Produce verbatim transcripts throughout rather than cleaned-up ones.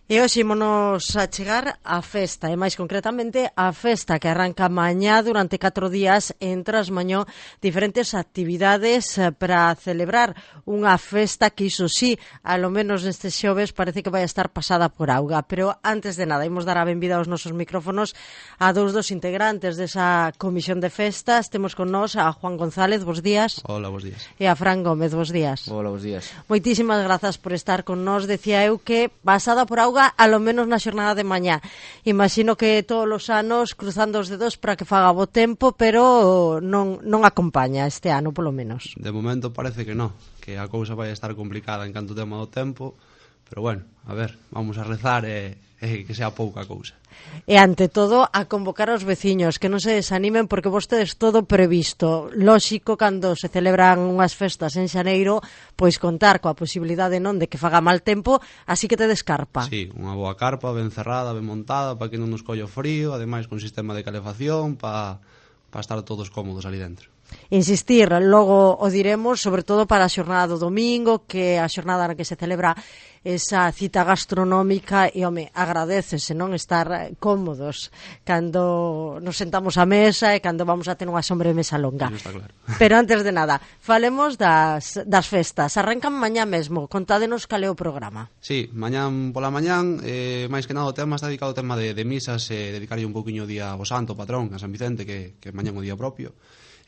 E hoxe ímonos a chegar á festa, e máis concretamente a festa que arranca mañá durante catro días entre as mañó diferentes actividades para celebrar unha festa que iso sí, alo menos nestes xoves parece que vai estar pasada por auga. Pero antes de nada, imos dar a benvida aos nosos micrófonos a dous dos integrantes desa comisión de festas. Temos con nós a Juan González, bos días. Hola, bos días. E a Fran Gómez, bos días. Hola, bos días. Moitísimas grazas por estar con nós. Decía eu que pasada por auga a lo menos na xornada de mañá. Imagino que todos os anos cruzando os dedos para que faga bo tempo, pero non, non acompaña este ano, polo menos. De momento parece que non, que a cousa vai estar complicada en canto tema do tempo, pero bueno, a ver, vamos a rezar e, e que sea pouca cousa. E ante todo a convocar aos veciños que non se desanimen porque vostedes todo previsto. Lóxico, cando se celebran unhas festas en xaneiro, pois contar coa posibilidade non de que faga mal tempo, así que te descarpa. Sí, unha boa carpa ben cerrada, ben montada para que non nos collo frío, ademais con sistema de calefacción para pa estar todos cómodos ali dentro. Insistir, logo o diremos, sobre todo para a xornada do domingo, que a xornada na que se celebra esa cita gastronómica e, home, agradecese, non, estar cómodos cando nos sentamos á mesa e cando vamos a ter unha sobremesa longa. Está claro. Pero antes de nada, falemos das, das festas. Arrancan mañá mesmo, contádenos cal é o programa. Sí, mañán pola mañán, eh, máis que nada o tema está dedicado ao tema de, de misas, eh, dedicarlle un poquinho o día ao santo patrón, a San Vicente, que, que mañán o día propio.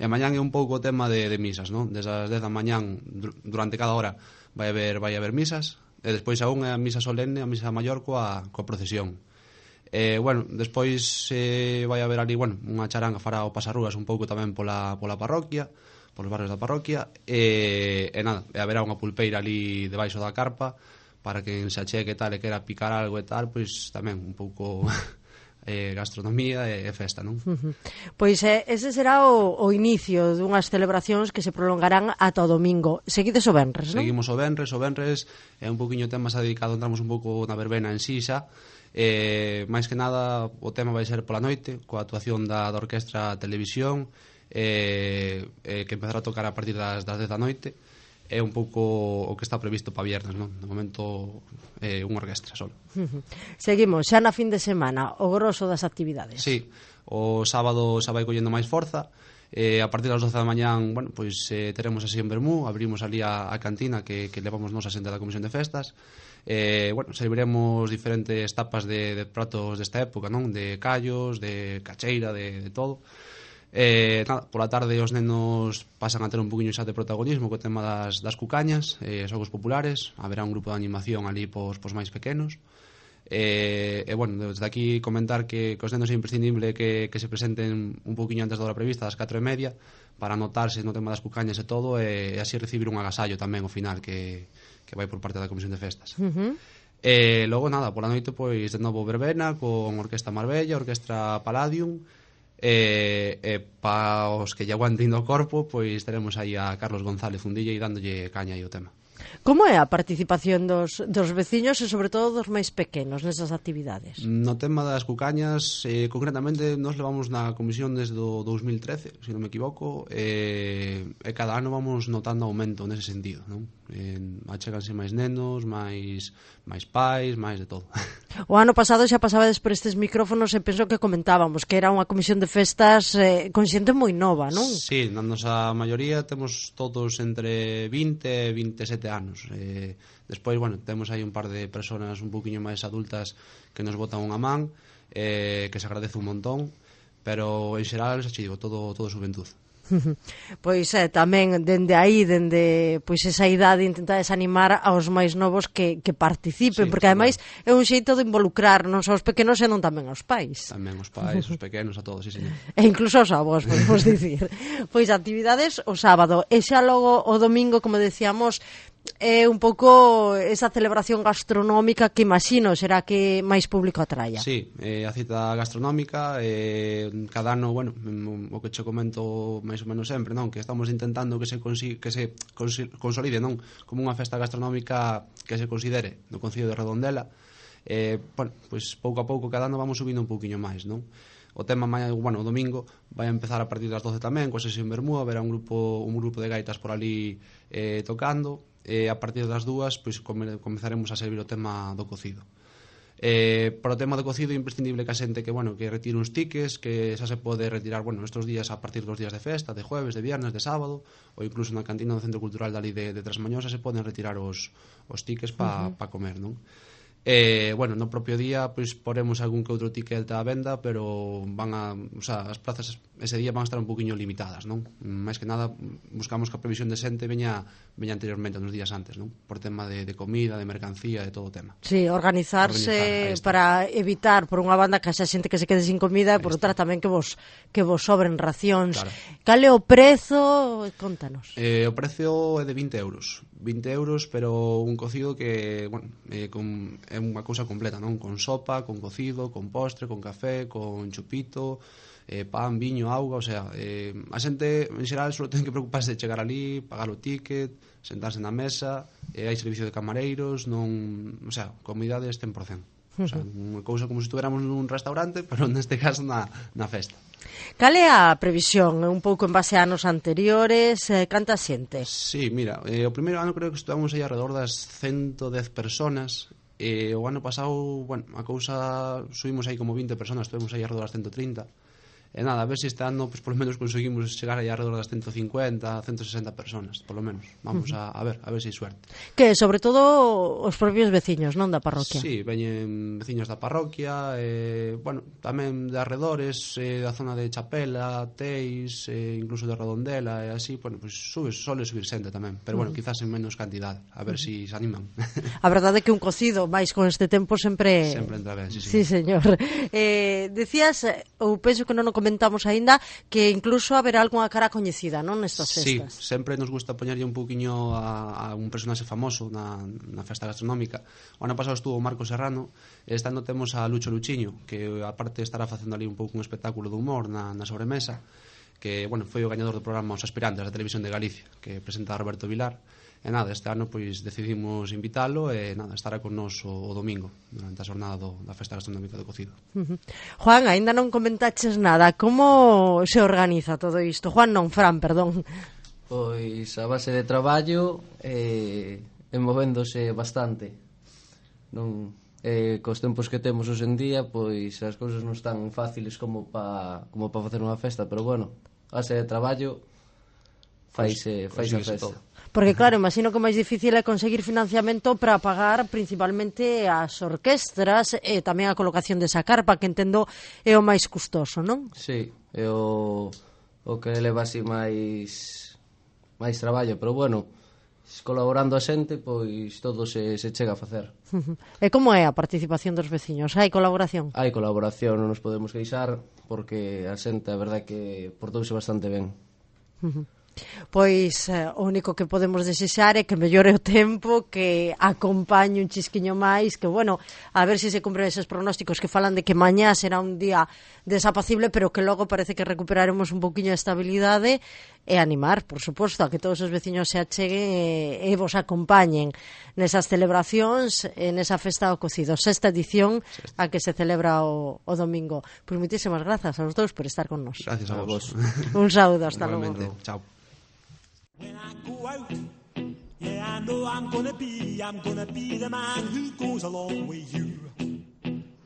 E mañán é un pouco o tema de, de misas, non? Desde as dez da mañán, durante cada hora, vai haber, vai haber misas, e despois a unha é a misa solene, a misa maior coa, coa procesión. E, bueno, despois eh, vai haber ali, bueno, unha charanga fará o pasarrúas un pouco tamén pola, pola parroquia, polos barrios da parroquia, e, e nada, e haberá unha pulpeira ali debaixo da carpa, para que se acheque e tal, e quera picar algo e tal, pois tamén un pouco... Eh, gastronomía e, e festa, non? Uh-huh. Pois eh, ese será o, o inicio dunhas celebracións que se prolongarán ata o domingo. Seguides o venres, non? Seguimos o venres, o venres é un poquinho tema xa dedicado, entramos un pouco na verbena en si xa, eh, máis que nada o tema vai ser pola noite, coa actuación da, da Orquestra Televisión, eh, eh, que empezará a tocar a partir das, das dez da noite. É un pouco o que está previsto para viernes, non? De momento é eh, unha orquestra só. Seguimos, xa na fin de semana, o grosso das actividades. Sí, o sábado xa vai collendo máis forza, eh, a partir das doce da mañán, bueno, pois eh, teremos así en Bermú, abrimos ali a, a cantina que, que levamos nos a xente da Comisión de Festas, eh, bueno, serviremos diferentes tapas de, de pratos desta época, non? De callos, de cacheira, de, de todo. Eh, nada, pola tarde os nenos pasan a ter un poquinho xa de protagonismo co tema das, das cucañas, eh, xogos populares, haberá un grupo de animación ali pos, pos máis pequenos, e, eh, bueno, desde aquí comentar que, que os nenos é imprescindible que, que se presenten un poquinho antes da hora prevista, das catro e media, para anotarse no tema das cucañas e todo, e, e así recibir un agasallo tamén ao final que, que vai por parte da Comisión de Festas. Uh-huh. E logo nada, pola noite pois de novo verbena con Orquestra Marbella, Orquestra Palladium. E, e para os que lle aguanten do corpo, pois teremos aí a Carlos González Fundilla e dándolle caña aí o tema. Como é a participación dos, dos veciños e sobre todo dos máis pequenos nesas actividades? No tema das cucañas, eh, concretamente nos levamos na comisión desde o dous mil trece, se non me equivoco, e, e cada ano vamos notando aumento nese sentido, non? Eh, acheganse máis nenos, máis, máis pais, máis de todo. O ano pasado xa pasabades por estes micrófonos e penso que comentábamos que era unha comisión de festas eh, con xente moi nova, non? Sí, na nosa maioría temos todos entre vinte e vinte e sete anos. Eh, despois, bueno, temos aí un par de personas un poquinho máis adultas que nos botan unha man, eh, que se agradece un montón, pero en xeral, xa te digo, todo, todo xuventud. Pois é, tamén dende aí, dende pois esa idade, intentar desanimar aos máis novos que, que participen, sí, porque ademais claro. é un xeito de involucrar non só aos pequenos, senón tamén aos pais. Tamén os pais, os pequenos, a todos, sí, señor. E incluso aos avós, podemos dicir. Pois actividades o sábado, e xa logo o domingo, como decíamos, é un pouco esa celebración gastronómica que imagino será que máis público atraia. Sí, eh, a cita gastronómica, eh, cada ano, bueno, o que che comento máis ou menos sempre, non? Que estamos intentando que se, consi- que se consi- consolide, non? Como unha festa gastronómica que se considere no Concello de Redondela. Eh, bueno, pois pouco a pouco cada ano vamos subindo un pouquiño máis, non? O tema, bueno, o domingo vai a empezar a partir das doce tamén, coa sesión Bermú, haberá un grupo, un grupo de gaitas por ali eh, tocando, e a partir das dúas pois come, comezaremos a servir o tema do cocido. Eh, para o tema do cocido é imprescindible que a xente que, bueno, que retire uns tickets, que xa se pode retirar, bueno, estes días a partir dos días de festa, de jueves, de viernes, de sábado, ou incluso na cantina do Centro Cultural dali de, de Trasmañosa se poden retirar os, os tickets para uh -huh. pa comer, non? Eh, bueno, no propio día pois poremos algún que outro ticket á venda, pero van a, o sea, as plazas ese día van a estar un poquinho limitadas, non? Mais que nada buscamos que a previsión de xente veña veña anteriormente, nos días antes, non? Por tema de, de comida, de mercancía, de todo o tema. Sí, organizarse Organizar, para evitar por unha banda que xa xente que se quede sin comida e por outra tamén que vos que vos sobren racións. Claro. Cal é o prezo? Contanos. Eh, o prezo é de vinte euros. vinte euros, pero un cocido que, bueno, eh, con, é unha cousa completa, non? Con sopa, con cocido, con postre, con café, con chupito, eh, pan, viño, auga, o sea, eh, a xente en xeral só ten que preocuparse de chegar ali, pagar o ticket, sentarse na mesa, eh, hai servicio de camareiros, non, o sea, comidades cen por cento. O sea, unha cousa como se estuviéramos nun restaurante, pero neste caso na, na festa. Cal é a previsión? Un pouco en base a anos anteriores, eh, canta xente? Sí, mira, eh, o primeiro ano creo que estuvamos aí alrededor das ciento dez personas, e eh, o ano pasado, bueno, a cousa subimos aí como vinte personas, estuvemos aí alrededor das ciento trinta. E nada, a ver se este ano pues, por lo menos conseguimos chegar aí alrededor das ciento cincuenta, ciento sesenta personas, por lo menos. Vamos a, a ver, a ver se hai suerte. Que sobre todo os propios veciños, non, da parroquia? Sí, veñen veciños da parroquia, eh, bueno, tamén de arredores, eh, da zona de Chapela, Teis, eh, incluso de Redondela, e así, bueno, pues sube, sole subir xente tamén, pero bueno, uh -huh. quizás en menos cantidade, a ver uh -huh. si se animan. A verdade é que un cocido, máis con este tempo, sempre... Sempre entra ben, sí, sí. Sí, señor. Eh, decías, ou penso que non o comentamos aínda, que incluso haberá algunha cara coñecida, non, nestas festas? Sí, sempre nos gusta poñerlle un poquinho a, a un personaxe famoso na, na festa gastronómica. O ano pasado estuvo Marco Serrano, e este ano temos a Lucho Luchiño, que aparte estará facendo ali un pouco un espectáculo de humor na, na sobremesa, que, bueno, foi o gañador do programa Os Aspirantes da Televisión de Galicia, que presenta a Roberto Vilar. E nada, este ano pois decidimos invitalo e nada, estará con nos o, o domingo durante a xornada do, da festa gastronómica do cocido. Uh -huh. Juan, aínda non comentaches nada, como se organiza todo isto? Juan non, Fran, perdón. Pois a base de traballo e, e movéndose bastante. Non, e cos tempos que temos hoxe en día, pois as cousas non están fáciles como pa como pa facer unha festa, pero bueno, a base de traballo faise, faise a festa. Todo. Porque claro, imagino que o máis difícil é conseguir financiamento para pagar principalmente as orquestras e tamén a colocación desa carpa, que entendo é o máis custoso, non? Sí, é o, o que leva así máis máis traballo, pero bueno, colaborando a xente, pois todo se, se chega a facer. Uh -huh. E como é a participación dos veciños? Hai colaboración? Hai colaboración, non nos podemos queixar, porque a xente, a verdade, que portouse bastante ben. Uh -huh. Pois eh, o único que podemos desexar é que mellore o tempo, que acompañe un chisquiño máis, que bueno, a ver se se cumpren eses pronósticos que falan de que mañá será un día desapacible, pero que logo parece que recuperaremos un poquinho de estabilidade, e animar, por suposto, a que todos os veciños se acheguen e, e vos acompañen nesas celebracións, en esa festa do cocido, sexta edición a que se celebra o, o domingo. Pois moitísimas grazas aos dous por estar con nos. Gracias a vos. Un saúdo, hasta logo. Chao. When I go out, yeah, I know I'm gonna be, I'm gonna be the man who goes along with you.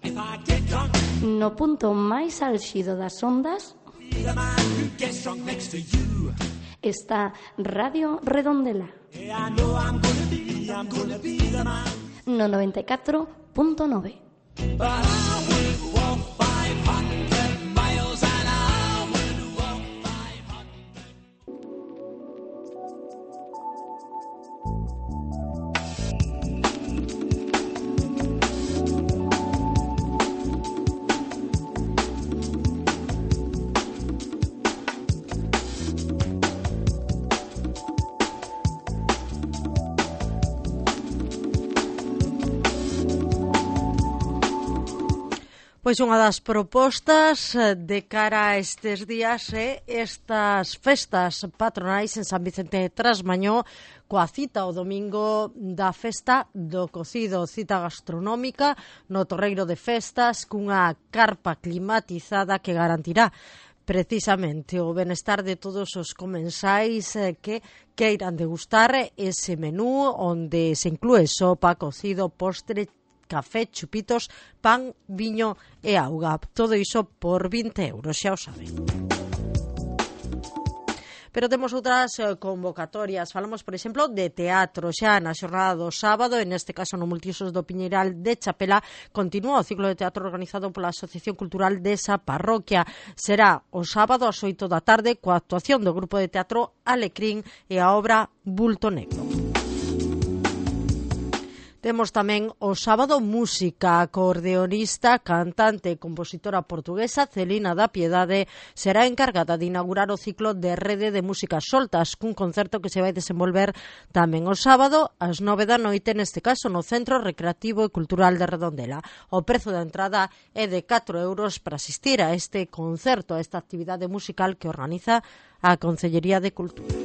If I get drunk, no punto máis álxido das ondas, be the man who gets drunk next to you. Está Radio Redondela. Yeah, I know I'm gonna be, I'm gonna be the man. No noventa e catro punto nove. But I would walk five hundred miles and I would walk five hundred. Pois unha das propostas de cara a estes días é estas festas patronais en San Vicente de Trasmañó, coa cita o domingo da festa do cocido, cita gastronómica no Torreiro de Festas, cunha carpa climatizada que garantirá precisamente o benestar de todos os comensais que queiran degustar ese menú onde se inclúe sopa, cocido, postre, café, chupitos, pan, viño e auga. Todo iso por vinte euros, xa o saben. Pero temos outras eh, convocatorias. Falamos, por exemplo, de teatro. Xa na xornada do sábado, en este caso no Multiusos do Piñeiral de Chapela, continúa o ciclo de teatro organizado pola Asociación Cultural desa parroquia. Será o sábado ás oito da tarde coa actuación do grupo de teatro Alecrín e a obra Bulto Negro. Temos tamén o sábado música. A acordeonista, cantante e compositora portuguesa Celina da Piedade será encargada de inaugurar o ciclo de Rede de Músicas Soltas, cun concerto que se vai desenvolver tamén o sábado ás nove da noite, neste caso no Centro Recreativo e Cultural de Redondela. O prezo da entrada é de catro euros para asistir a este concerto, a esta actividade musical que organiza a Concellería de Cultura.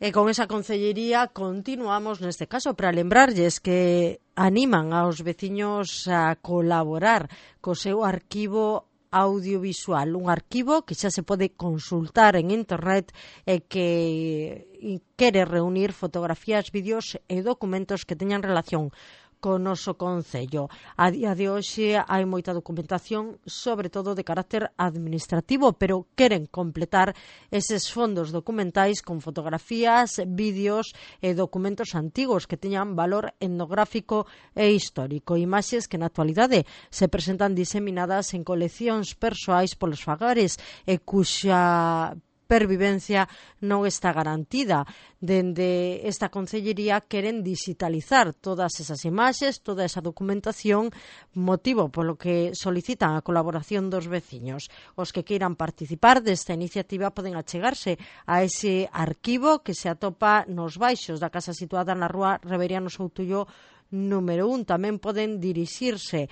E con esa concellería continuamos neste caso para lembrarlles que animan aos veciños a colaborar co seu arquivo audiovisual, un arquivo que xa se pode consultar en internet e que quere reunir fotografías, vídeos e documentos que teñan relación co noso concello. A día de hoxe hai moita documentación, sobre todo de carácter administrativo, pero queren completar eses fondos documentais con fotografías, vídeos e documentos antigos que teñan valor etnográfico e histórico. Imaxes que na actualidade se presentan diseminadas en coleccións persoais polos fagares e cuxa pervivencia non está garantida. Dende esta concellería queren digitalizar todas esas imaxes, toda esa documentación, motivo polo que solicitan a colaboración dos veciños. Os que queiran participar desta iniciativa poden achegarse a ese arquivo que se atopa nos baixos da casa situada na rúa Reveriano Soutullo número un. Tamén poden dirixirse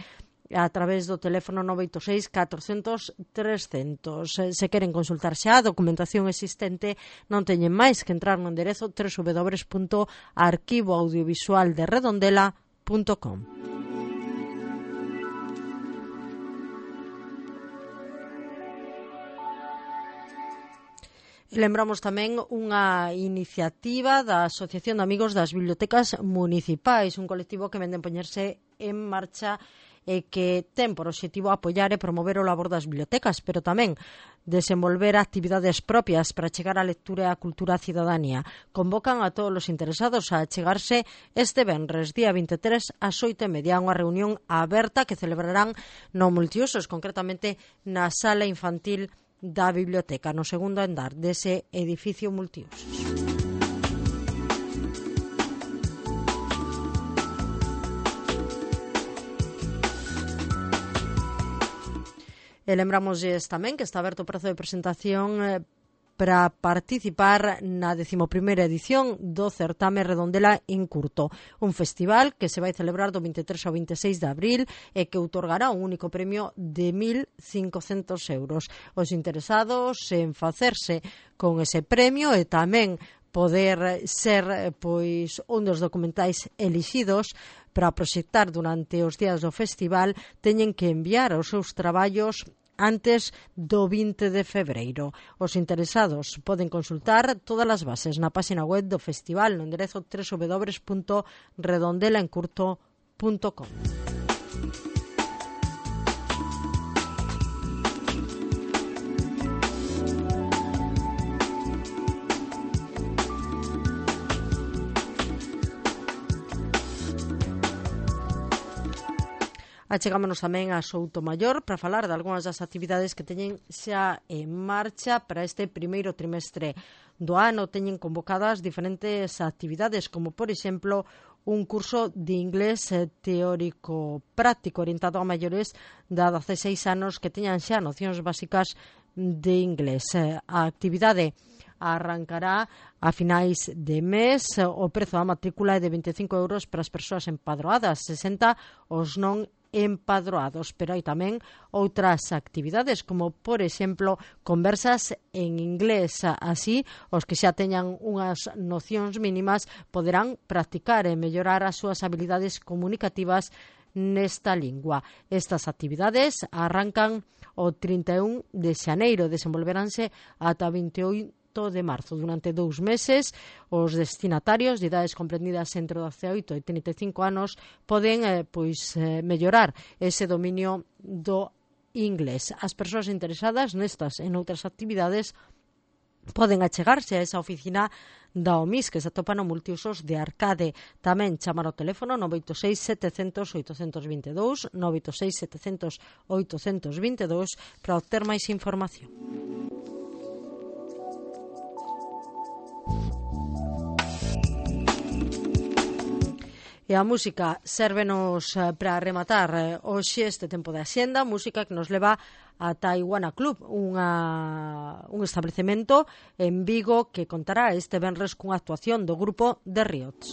a través do teléfono nove oito seis catorcentos trescentos. Se queren consultar xa a documentación existente, non teñen máis que entrar no enderezo doble u doble u doble u punto arquivo audiovisual de redondela punto com. Lembramos tamén unha iniciativa da Asociación de Amigos das Bibliotecas Municipais, un colectivo que vende a poñerse en marcha e que ten por obxectivo apoiar e promover o labor das bibliotecas, pero tamén desenvolver actividades propias para chegar á lectura e á cultura á cidadanía. Convocan a todos os interesados a chegarse este venres, día vinte e tres, ás oito e media, unha reunión aberta que celebrarán no Multiusos, concretamente na sala infantil da biblioteca, no segundo andar dese edificio Multiusos. E lembramos tamén que está aberto o prazo de presentación eh, para participar na decimoprimeira edición do Certame Redondela en Curto, un festival que se vai celebrar do vinte e tres ao vinte e seis de abril e que outorgará un único premio de mil cincocentos euros. Os interesados en facerse con ese premio e tamén poder ser pois un dos documentais elixidos para proxectar durante os días do festival, teñen que enviar os seus traballos antes do vinte de febreiro. Os interesados poden consultar todas as bases na página web do festival no enderezo doble u doble u doble u punto redondela en curto punto com. Achegámonos tamén a Soutomaior para falar de algunhas das actividades que teñen xa en marcha para este primeiro trimestre do ano. Teñen convocadas diferentes actividades, como por exemplo un curso de inglés teórico práctico orientado a maiores de dezaseis anos que teñan xa nocións básicas de inglés. A actividade arrancará a finais de mes. O prezo da matrícula é de vinte e cinco euros para as persoas empadroadas, sesenta os non empadroados, pero hai tamén outras actividades, como por exemplo conversas en inglés. Así, os que xa teñan unhas nocións mínimas poderán practicar e mellorar as súas habilidades comunicativas nesta lingua. Estas actividades arrancan o trinta e un de xaneiro, desenvolveranse ata vinte e oito de marzo. Durante dous meses, os destinatarios de idades comprendidas entre dezaoito e trinta e cinco anos poden eh, pois, eh, mellorar ese dominio do inglés. As persoas interesadas nestas e noutras actividades poden achegarse a esa oficina da O M I S que se atopa no multiusos de Arcade. Tamén chamar ao teléfono nove oito seis sete cero cero oito dos dous, nove oito seis sete cero cero oito dos dous para obter máis información. E a música sérvenos para rematar hoxe este tempo de axenda, música que nos leva a Taiguana Club, unha, un establecemento en Vigo que contará este venres cunha actuación do grupo The Riots.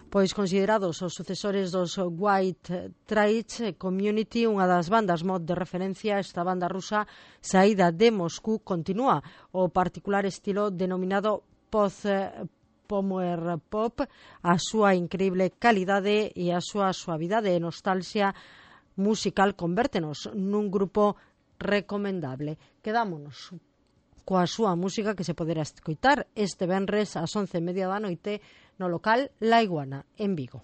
Pois considerados os sucesores dos White Trash Community, unha das bandas mod de referencia, esta banda rusa saída de Moscú continúa o particular estilo denominado post-power pop, a súa increíble calidade e a súa suavidade e nostalgia musical convértenos nun grupo recomendable. Quedámonos coa súa música que se poderá escoitar este venres ás once e media da noite no local La Iguana, en Vigo.